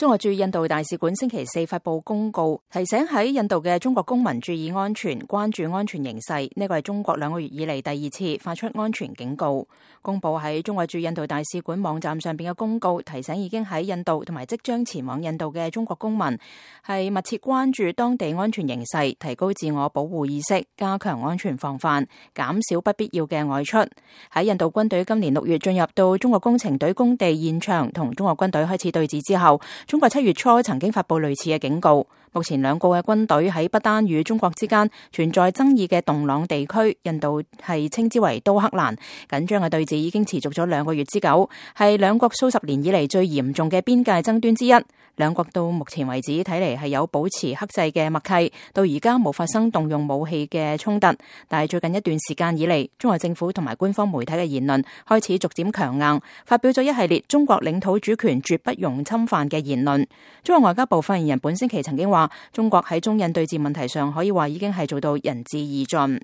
中國駐印度大使館星期四發布公告，提醒喺印度嘅中國公民注意安全，關注安全形勢。呢個係中國2個月以嚟第二次發出安全警告。公布喺中國駐印度大使館網站上邊嘅公告，提醒已經喺印度同埋即將前往印度嘅中國公民，係密切關注當地安全形勢，提高自我保護意識，加強安全防範，減少不必要嘅外出。喺印度軍隊今年6月進入到中國工程隊工地現場，同中國軍隊開始對峙之後，中國7月初曾經發布類似嘅警告。目前兩國嘅軍隊喺不丹與中國之間存在爭議嘅洞朗地區，印度係稱之為都克蘭，緊張嘅對峙已經持續咗2個月之久，係兩國數十年以嚟最嚴重嘅邊界爭端之一。兩國到目前為止睇嚟係有保持克制嘅默契，到而家冇發生動用武器嘅衝突。但係最近一段時間以嚟，中國政府同埋官方媒體嘅言論開始逐漸強硬，發表咗一系列中國領土主權絕不容侵犯嘅言論。中國外交部發言人本星期曾經話，中國喺中印對峙問題上可以話已經係做到仁至義盡。